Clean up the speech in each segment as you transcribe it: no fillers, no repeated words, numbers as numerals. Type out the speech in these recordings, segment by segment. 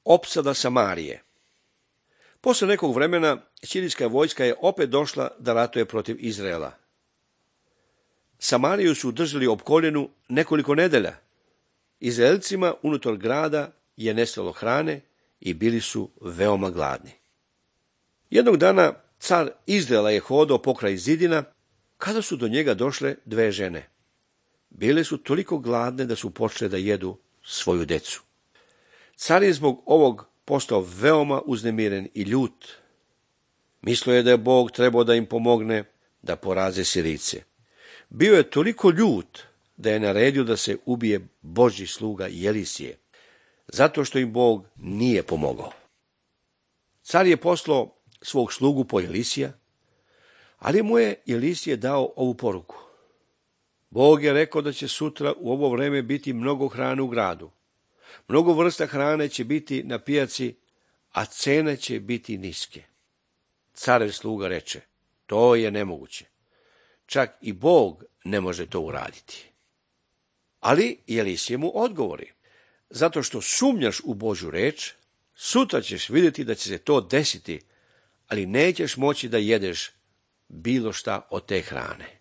opsada Samarije. Posle nekog vremena sirijska vojska je opet došla da ratuje protiv Izraela. Samariju su držali opkoljenu nekoliko nedelja. Izraelcima unutar grada je nestalo hrane i bili su veoma gladni. Jednog dana car Izraela je hodao pokraj zidina kada su do njega došle dve žene. Bile su toliko gladne da su počele da jedu svoju decu. Car je zbog ovog postao veoma uznemiren i ljut. Mislio je da je Bog trebao da im pomogne da poraze Sirijce. Bio je toliko ljut da je naredio da se ubije Božji sluga Jelisije, zato što im Bog nije pomogao. Car je poslao svog slugu po Jelisija, ali mu je Jelisije dao ovu poruku. Bog je rekao da će sutra u ovo vreme biti mnogo hrane u gradu. Mnogo vrsta hrane će biti na pijaci, a cene će biti niske. Carev sluga reče, to je nemoguće. Čak i Bog ne može to uraditi. Ali Jelisije mu odgovori, zato što sumnjaš u Božju reč, sutra ćeš vidjeti da će se to desiti, ali nećeš moći da jedeš bilo šta od te hrane.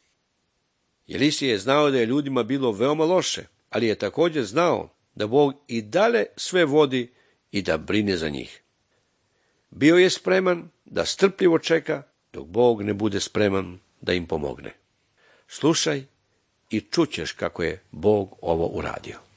Jelisije je znao da je ljudima bilo veoma loše, ali je također znao da Bog i dalje sve vodi i da brine za njih. Bio je spreman da strpljivo čeka dok Bog ne bude spreman da im pomogne. Slušaj i čućeš kako je Bog ovo uradio.